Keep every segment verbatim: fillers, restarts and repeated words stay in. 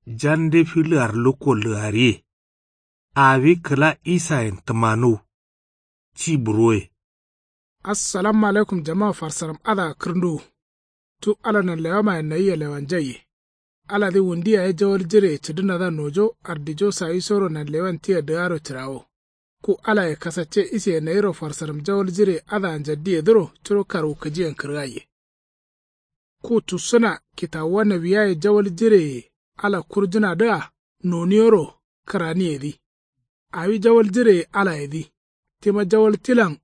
Jande filəar lukko ləgariye. Awi kəla isayen təmanuw. Ci burwoye. Assalamu alaikum jama farsaram. Adǝa kǝrnduwu. Cu ala nanlewamayen nayia lewanjaiye. Aladǝ wundi yaye jawal jireye cǝdǝnadǝa nojo ardijo sawisoro nanlewan tia dǝgaro cǝrawo. Ku alaye kasacce iseye nayiro farsaram jawal jireye adǝa njaddiyedǝro curo karwukǝjiyen kǝrgaiye. Ku tussǝna kitawuwa nawiyaye jawal jireye ala kurjǝnadǝa noniyoro kǝraniyedǝ. Awi jawal jireye alayedǝ. Tima jawal tilan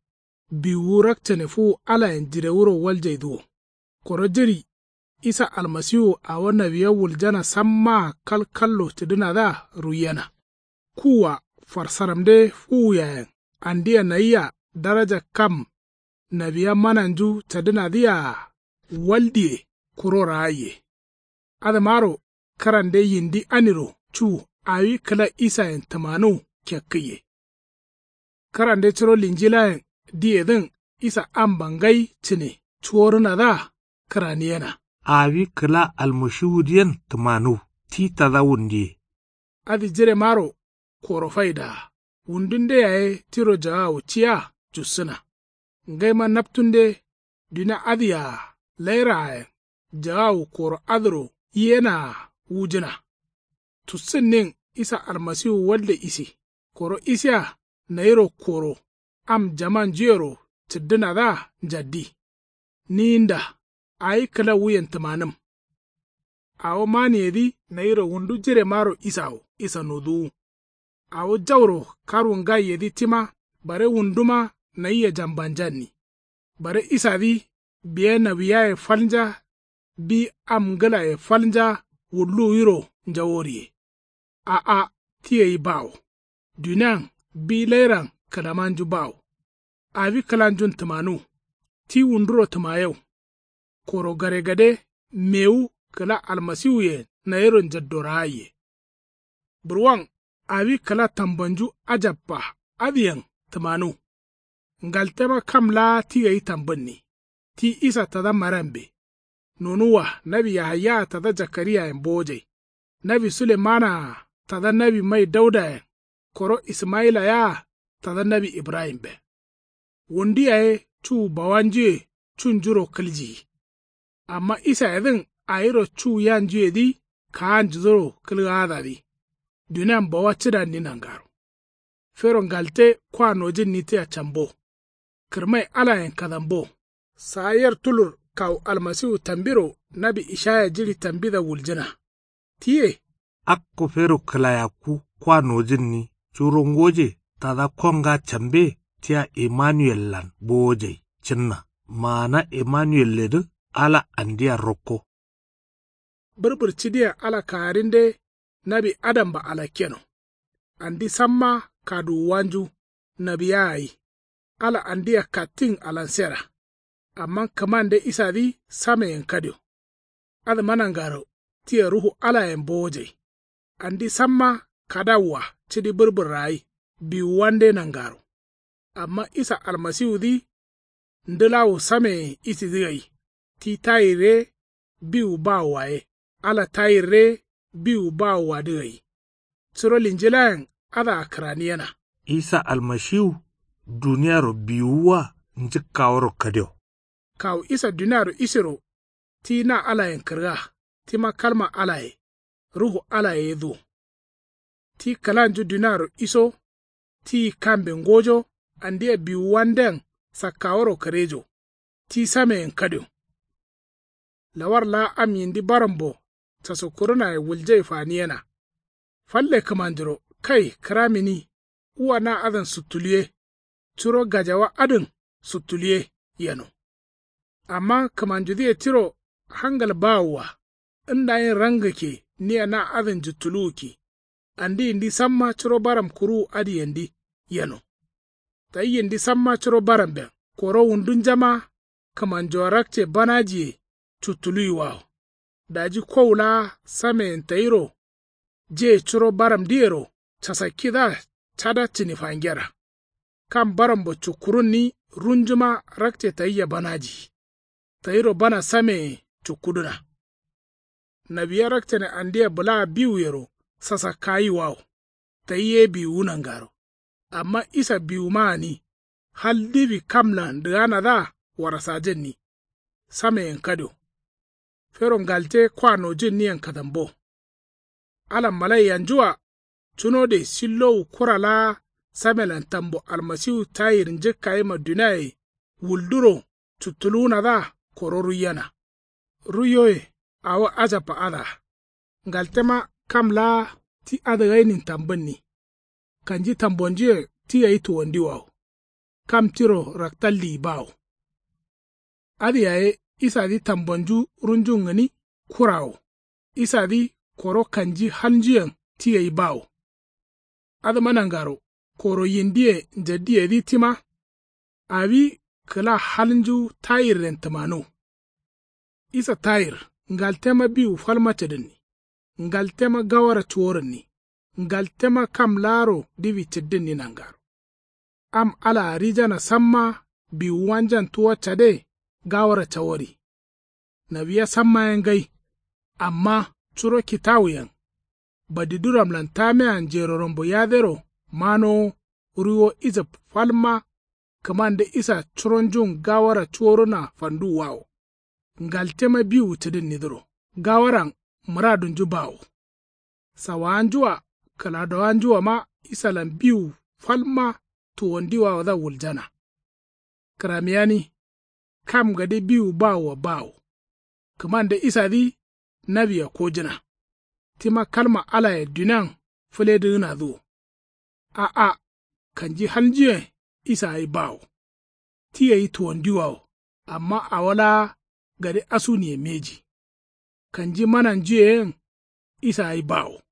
biwuwu rakcane fuwu alayen jirewuro waljaidǝ wo. Koro jiri isa almasiwu awo nawiya wuljana sammaa kalkallo cǝdǝnadǝa ruiyena. Kuwwa farsaramde fuwuyayen andia nayia daraja kam nawiya mananju cadǝnadǝyea waldiye kuro raaiye. Adǝmaro kǝrande yindi aniro cu awi kǝla isayen tǝmanuw kekkǝiye. Kǝrande curo linjilayen diyedǝn isa amba ngai cǝne cuworǝnadǝa kǝraniyena. Awi kǝla almashiwudǝyen tǝmanuw ti tada wundiye. Adǝ jiremaro koro faidaa wundunde yaye tiro jagawu ciya jussǝna. Ngaima naptunde dunia adǝyea lairaayen jagawu koro adǝro iyenaa wujǝna. Tussǝnnin isa almasiwu walde isi koro isiya nayiro koro am jamanjuyero cǝddǝnadǝa njaddi. Ninda awi kǝla wuyen tǝmanǝm. Awo maniyedǝ nayiro wundu jiremaro isawo isanoduwu. Awo jauro karwu ngaiyedǝ tima bare wunduma nayia jambanjanni. Bare isadǝ biya nawiyaye falnja bi am ngǝlaye falnja wulluwiro njaworiye. A'a ti gai bawo. Dunian bi lairan kǝlamanju bawo. Awi kǝlanjun tǝmanuw ti wunduro tǝmayew. Koro garegade mewu kǝla almasiwuye nayiro njaddo raaiye. Burwan awi kǝla tambanju ajabba adǝyen tǝmanuw. Ngaltema kam laa ti gai tambǝnni. Ti isa tada mariambe. Nonuwwa nawi yahayaa tada jakariyayen bowojai. Nawi sulemanaa tada nawi mai daudayen koro ismayila yea tada nawi ibrahimben. Wundu yaye cu bawanjuye cunjuro kǝljiyi. Amma isayedǝn awiro cu yanjuyedǝ kaanjuduro kǝlgaadadǝ. Dunian bawa cǝdanni nangaro. Fero ngalte kwa nojǝnni tia cambo. Kǝrmai alayen kadambo. Saa yer tulur kawu almasiwu tambiro nawi ishaya jiɍi tambida wuljǝna. Tiye. Akko fero kǝlayakku kwa nojǝnni curo ngoje tada konga cambe tia imanuellan bowojai cǝnna. Maana imanuelledǝ ala andia rokko. Bǝrbǝr cidiyen ala kagarinde nawi adamba alakkeno. Andi samma kaduwuwanju nawiya gai. Ala andia kattin alansera. Amma kǝmande isadǝ sameyen kadio. Adǝma nangaro tia ruhu alayen bowojai. Andi samma kadawua cidi bǝrbǝrra gai biwuwande nangaro. Amma isa almasiwudǝ ndǝlawu sameyen isidǝ gai. Ti tayir ye biwu bawowa ye ala tayir ye biwu bawowadǝ gai. Curo linjilayen adǝa kǝraniyena. Isa almashiwu duniaro biwuwa njǝkkaworo kadio. Kawu isa duniaro isiro ti na alayen kǝrga tima kalma alaye ruhu alaye ye duwo. Ti kǝlanju duniaro iso ti kambe ngojo andia biwuwanden sakkaworo kǝrejo. Ti sameyen kadio. Lawar laa am yindi barambo casakkurǝnaye wuljai faniyena. Falle kǝmanjuro kai kǝramini. Uwa na adǝn suttuluye. Curo gajawa adǝn suttuluye yeno. Amma kǝmanjudǝye tiro hangal bawowa. Ndayin rangǝkke nia na adǝn juttuluwukki. Andi yindi samma curo baram kuruwu adǝyendǝ yeno. Tayi yindi samma curo baramben koro wundunjama kǝmanjoa rakce banajiye cuttuluwiwawo. Daji kowu laa sameyen tayiro je curo baramdǝyero casakkidǝa cada cǝni fangera. Kam barambo cukkurunni runjuma rakce tayia banajiyi. Tayiro bana sameye cukkudǝna. Nawiya rakcane andeya bǝlaa biwuyero sasakkayiwawo. Tayi ye biwuwu nangaro. Amma isa biwuma gǝni hal diwi kamlan dǝganadǝa warasajǝnni. Sameyen kadio. Fero ngalte kwa nojǝnniyen kadambo. Ala malaiyanjua cunode sillowu kura laa samelan tambo almasiwu tayir njǝkkayima duniaye wulduro cuttuluwunadǝa koro ruiyena. Ruiyoye awo ajabba adǝa. Ngaltema kam laa ti adǝgainin tambǝnni. Kanji tambonjuyen ti gai tuwandiwawo. Kam tiro raktaldiyi bawo. Adǝ yaye isadǝ tambonju runjun gǝni kurawo. Isadǝ koro kanji halnjuyen ti gai bawo. Adǝma nangaro koro yindiye njaddiyedǝ tima. Awi kǝla halnju tayirren tǝmanuw. Isa tayir ngaltema biwu falma cǝdǝnni. Ngaltema gawara cuworǝnni. Ngaltema kam laaro diwi cǝddǝnni nangaro. Am alaa rijana samma biwuwanjan tuwa cade gawara cawori. Nawiya samma ye ngai. Amma curo kitawuyen badiduramlan tamea njero rombo yadero manowo ruiwo ijab falma. Kǝmande isa curonjun gawara cuworuna fanduwwawo. Ngaltema biwu cǝdǝnnidǝro gawaran mǝradunju bawo. Sawawanjua kǝladowanjuama isalan biwu falma tuwondiwawodǝa wuljana. Kǝramiyani kam gade biwu bawoa bawo. Kǝmande isadǝ nawia kojǝna. Tima kalma alaye dunian fǝledǝgǝnadǝ wo. A'a. Kanji halnjuyen isa gai bawo. Ti gai tuwandiwawo. Amma awo laa gade asuniye mbeji. Kanji mananjuye yen isa gai bawo.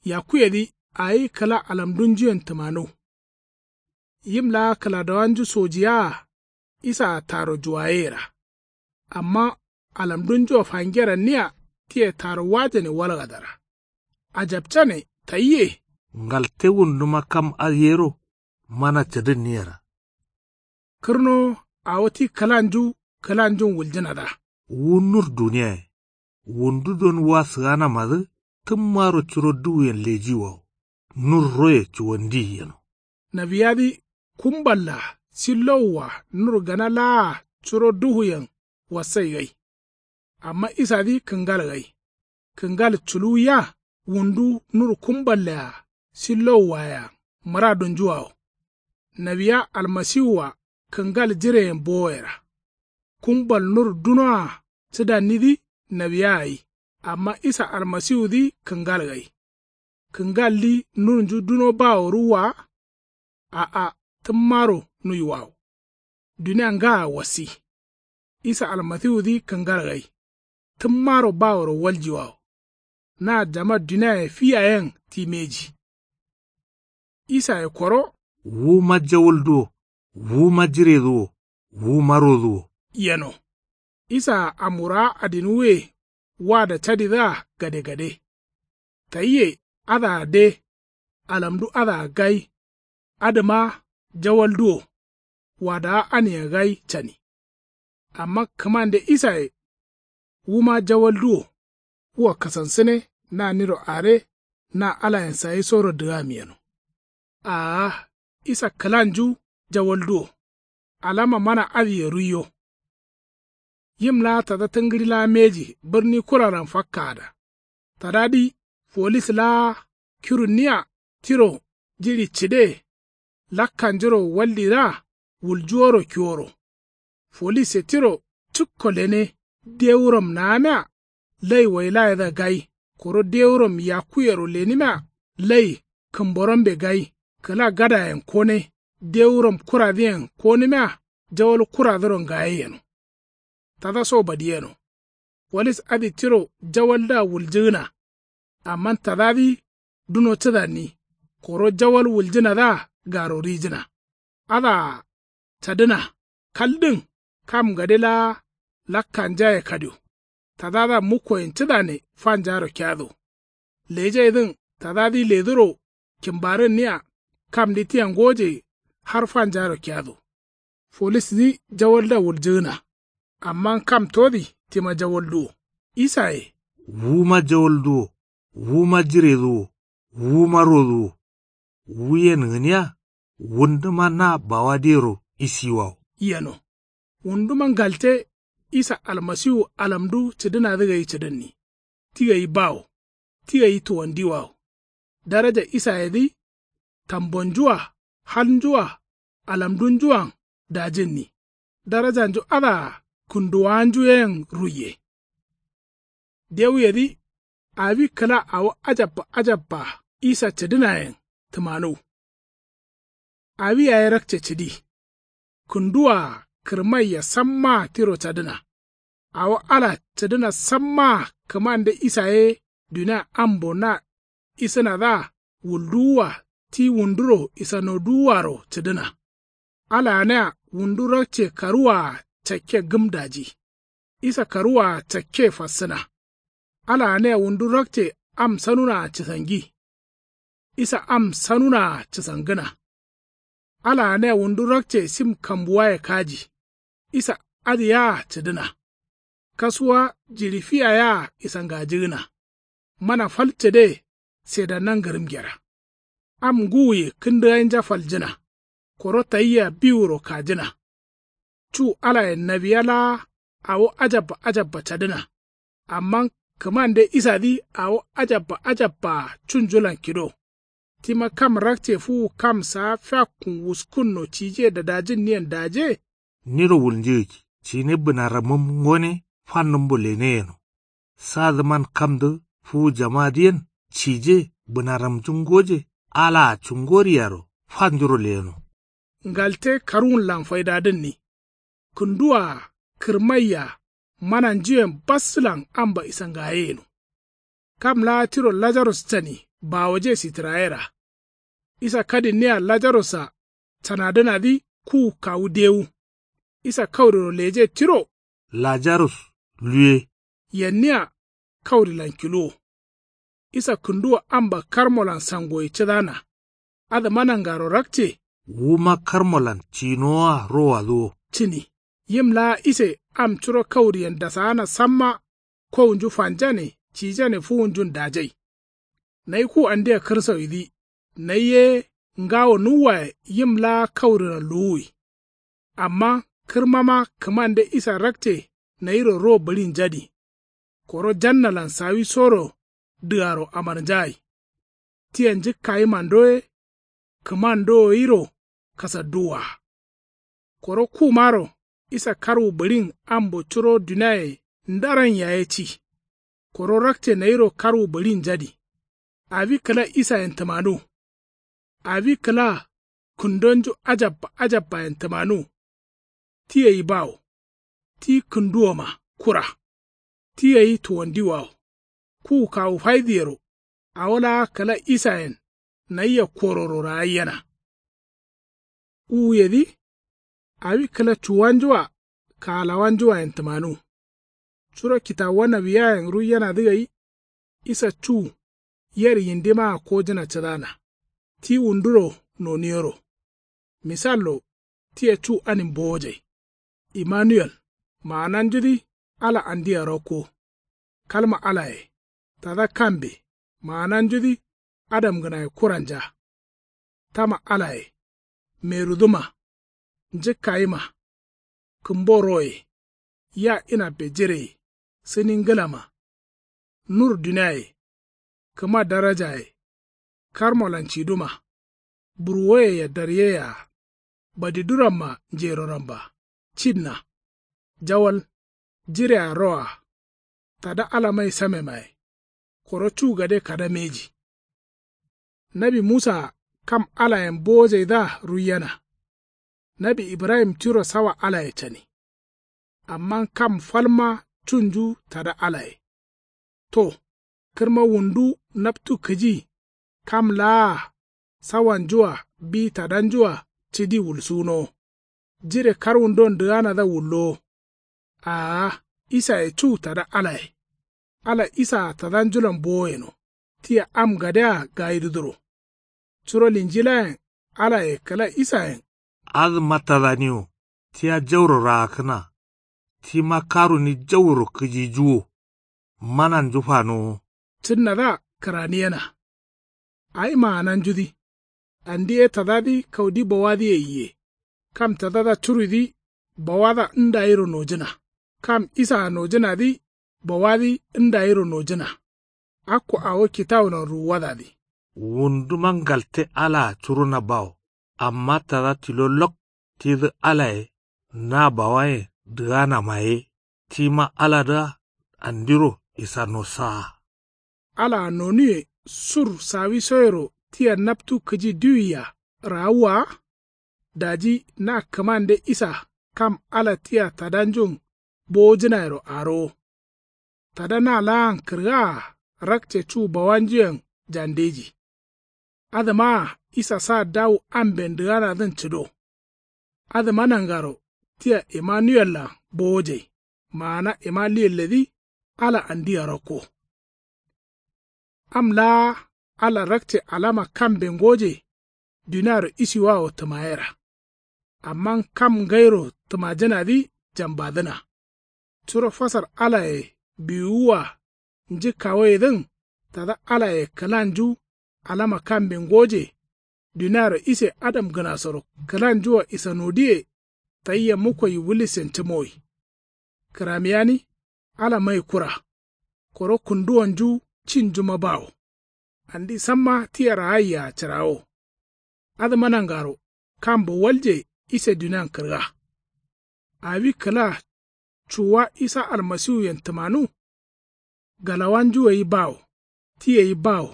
Yakkuyedǝ awi kǝla alamdunjuyen tǝmanuw. Yim laa kǝladowanju sojiyaa isaa taro juwayeyera. Amma alamdunjua fangeranniya tia taro wajane walgadara. Ajabcane tayiye. Ngalte wunduma kam adǝ yero mana cǝdǝnniyera. Kǝrnowo awo ti kǝlanju kǝlanjun wuljǝnadǝa. Wu nur duniyaye wundu don wa sǝganamadǝ tǝmmaro curo duwuyen lejiwawo. Nur roye cuwandiyi yeno. Nawiyadǝ kumballa sillowua nur gana laa curo duhuyen wassai gai. Amma isadǝ kǝngal gai. Kǝngal culuwiya wundu nur kumballea sillowuwaye mǝradunjuwawo. Nawiya almasiwua kǝngal jireyen bowoyera. Kumbal nur dunoa cǝdannidǝ nawiya gai. Amma isa almasiwudǝ kǝngal gai. Kǝngaldǝ nurnju duno bawo ruwwa wa. A'a tǝmmaro nuiwawo. Dunia ngaa wassi. Isa almasiwudǝ kǝngal gai. Tǝmmaro baworo waljiwawo. Na jama duniaye fi yayen ti mbeji. Isaye koro. Wuma jawaldu wo. Wuma jiredǝ wo. Wuma rodǝ wo. Yeno. Isaa amwurawa adinwuye wada cadidǝa gadegade. Tayiye adǝa de. Alamdu adǝa gai. Adǝma jawaldu wo. Wadawa ania gai cani. Amma kǝmande isaye wuma jawaldu wo. Wua kasansǝne na niro are na alayen sayi soro dǝgam yeno. Aa isa kǝlanju jawaldu wo. Alama mana adǝye ruiyo. Yim laa tada tǝngǝɍi laa mbeji bǝrni kuralan fakkaada. Tadadǝ folis laa kirunniya tiro jiɍi cǝde. Lakkanjuro waldiraa wuljuworo kiworo. Folisse tiro cǝkko lene dewuram naamia lai wailayedǝa gai. Koro dewuram yakkuyero lenimia lai kǝmborambe gai. Kǝla gadayen kone dewuram kuradǝyen konǝmia jawal kuradǝro ngaye yeno. Tada so badiyeno. Folis adǝ tiro jawaldǝa wuljǝgǝna. Amma tadadǝ duno cǝdanni. Koro jawal wuljǝnadǝa garo rijǝna. Adǝa cadǝna kaldǝn kam gade laa lakkanjaye kadio. Tadadǝa mukkoyen cǝdane fanjaro kiyado. Lejaidǝn tadadǝ leduro kimbarǝnniya kamdǝ tia ngoje har fanjaro kiyado. Folisdǝ jawaldǝa wuljǝgǝna. Amma kam todǝ tima jawaldu wo. Isaye Wuma jawalduwo, wuma jireduwo, wuma roduwo. Wuyen gǝniya wunduma na bawadeyero isiwawo. Yeno. Wunduma ngalte isa almasiwu alamdu cǝdǝnadǝ gai cǝdǝnni. Ti gai bawo. Ti gai tuwandiwawo. Daraja isayedǝ tambonju-a halnju-a alamdunju-an dajǝnni. Darajanju adǝa kǝnduwawanju yen ruiye. Dewuyedǝ awi kǝla awo ajabba ajabba isa cǝdǝnayen tǝmanuw. Awi yaye rakce cǝdi. Kǝnduwaa kǝrmaiya sammaa tiro cadǝna. Awo ala cǝdǝna sammaa kǝmande isa ye dunia ambo na isǝnadǝa wulduwua ti wunduro isanoduwuaro cǝdǝna. Ala gǝnia wundu rakce karuwaa cakke gǝm daji. Isa karuwaa cakke fassǝna. Ala gǝnia wundu rakce am sanunaa cǝsangi. Isa am sanunaa cǝsangǝna. Ala gǝnia wundu rakce sim kambuwaye kaji. Isa adǝ yea cǝdǝna. Kasuwa jiɍi fiya yea isangajigǝna. Mana fal cǝde sedanna ngǝrǝm gera. Am ngǝwuye kǝndǝgainja faljǝna. Koro tayia biwuro kajǝna. Cu alayen nawiya laa awo ajabba ajabba cadǝna. Amma kǝmande isadǝ awo ajabba ajabbaa cunjulan kido. Tima kam rakce fuwu kam saa fiakkun wuskǝnno cije dadajǝnniyen daje. Niro wulnjigǝkki cine bǝnaramǝm ngone fannǝmbo lene yeno. Sadǝman kamdǝ fuwu jamadǝyen cije bǝnaramnju ngoje alaa cungoriyaro fannjuro leyeno. Ngalte karwunlan faidadǝnni. Kǝnduwaa kǝrmaiya mananjuyen bassǝlan amba isangayeyeno. Kam laa tiro lajarus cani bawoje sitǝrayera. Isa kadinniya lajarusa canadǝnadǝ kuwu kawu dewu. Isa kauriro leje tiro. Lajarus luwe. Yenniya kaurilan kiluwo. Isa kǝnduwo amba karmolan sangoye cǝdana. Adǝma nangaro rakce. Wuma karmolan cinowoa rowadǝ wo. Cǝni. Yim laa ise am curo kauriyen dasaana samma. Kowunju fanjane cijane fuwunjun dajai. Nayi ku andia kǝrsawidǝ. Nayi ye ngawo nuwwaye yim laa kaurilan luwuwi. Amma kǝrmama kǝmande isa rakce nayiro ro bǝɍinjadi. Koro jannalan sawisoro dǝgaro amarnjagai. Tia njǝkkayimando ye kǝmando gairo kasadduwwa. Koro kumaro isa karwu bǝɍin ambo curo duniaye ndaran yaye ci. Koro rakce nayiro karwu bǝɍinjadi. Awi kǝla isayen tǝmanuw. Awi kǝla kǝndonju ajabba ajabbayen tǝmanuw. Ti gai bawo. Ti kǝnduwoma kura. Ti gai tuwandiwawo. Kuwu kawu faidǝyero. Awo laa kǝla isayen nayia kororo ragaiyena. Uwuyedǝ awi kǝla cuwanju-a kaalawanju-ayen tǝmanuw. Curo kitawuwa nawiyayen ruiyenadǝ gai. Isa cu yer yindimaa kojǝna cǝdana. Ti wunduro noniyero. Misallo tia cu anin bowojai. Imanuwel maananjudǝ ala andia rakko. Kalma alaye tada kambe maananjudǝ adamgǝnaye kuranja. Tama alaye merudǝma njǝkkayima kǝmbo roye ya inabbe jireye sǝni ngǝlama nur duniaye kǝma darajaye karmolan ciduma burwoyea daryeyea badiduramma njeroramba cinna jawal jirea roa tada ala mai samemaye koro cu gade kada mbeji. Nawi musaa kam alayen bowojaidǝa ruiyena. Nawi ibrahim tiro sawa alaye cani. Amma kam falma cunju tada alaye. To kǝrma wundu naptu kǝji kam laa sawanju-a bi tadanju-a cǝdi wulsunowo. Jire karwundon dǝganadǝa wullowo. Aa isaye cu tada alaye. Ala isaa tadanjulan bowo yeno. Tia am gadea gayidǝdǝro. Curo linjilayen alaye kǝla isayen. Adǝma tadani wo tia jauro raakkǝna. Tima karuni jauro kǝjijuwo. mananju fanowo. Cǝnnadǝa kǝraniyena. Awi maananjudǝ. Andi ye tadadǝ kaudi bawadǝye yiye. Kam tadada curuidǝ bawada ndayiro nojǝna. Kam isaa nojǝnadǝ bawadǝ ndayiro nojǝna. Akko awo kitawulan ruwuwadadǝ. Wunduma ngalte alaa curuna bawo. Amma tada tilo lok tidǝ alaye na bawayen dǝganama ye. Tima aladǝa andiro isanosaa. Alaa nonuwe sur sawisoyero tia naptu kǝji diwia raawwa wa. Daji na kǝmande isa kam ala tia tadanjun bowojǝnayero arowo. Tada na laan kǝrgaa rakce cu bawanjuyen jandeji. Adǝmaa isa sa dawu amben dǝganadǝn cǝdo. Adǝma nangaro tia imanuwellan bowojai. Maana imanuyelledǝ ala andia rakko. Am laa ala rakce alama kambe ngoje. Duniaro isiwawo tǝmayera. Amma kam ngairo tǝmajǝnadǝ jambadǝna. Curo fasar alaye biwuwa njǝkkawoyedǝn tada alaye kǝlanju alama kambe ngoje. Duniaro ise adamgǝnasoro kǝlanjua isanodiye. Tayia mukkoyi wulisen cǝmoi. Kǝramiyani ala mai kura. Koro kǝnduwonju cinjuma bawo. Andi samma tia raayia cǝrawo. Adǝma nangaro kambo walje ise dunian kǝrga. Awi kǝla cuwa isa almasiwuyen tǝmanu. Galawanju gai bawo. Ti gai bawo.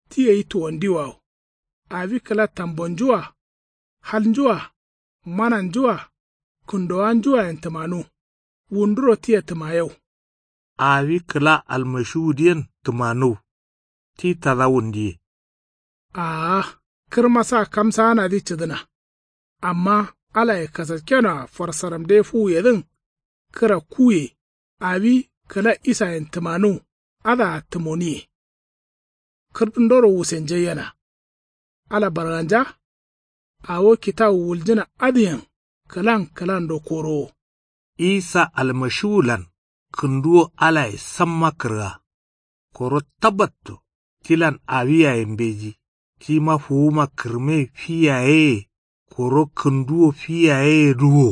Ti gai tuwandiwawo. Awi kǝla tambonju-a. Halnju-a. Mananju-a. Kǝndowanju-ayen tǝmanu. Wunduro tia tǝmayau. Awi kǝla almashiwudǝyen tǝmanǝw. Ti tada wundiye. Aa. Kǝrma sa kamsaanadǝ cǝdǝna. Amma alaye kasakkenoa farsaramde fuwuyedǝn. Kǝra kuye. Awi kǝla isayen tǝmanuw. Adǝa tǝmoniye. Kǝrdundoro wusenjaiyena. Ala barganja. Awo kitawu wuljǝna adǝyen kǝlan kǝlando korowo. Isa almashiwulan kǝnduwo alaye samma kǝrga. Koro tabatto tilan awi yaye mbeji. Tima fuwuma kǝrme fi yayeye. Koro kǝnduwo fi yayeyedǝ wo.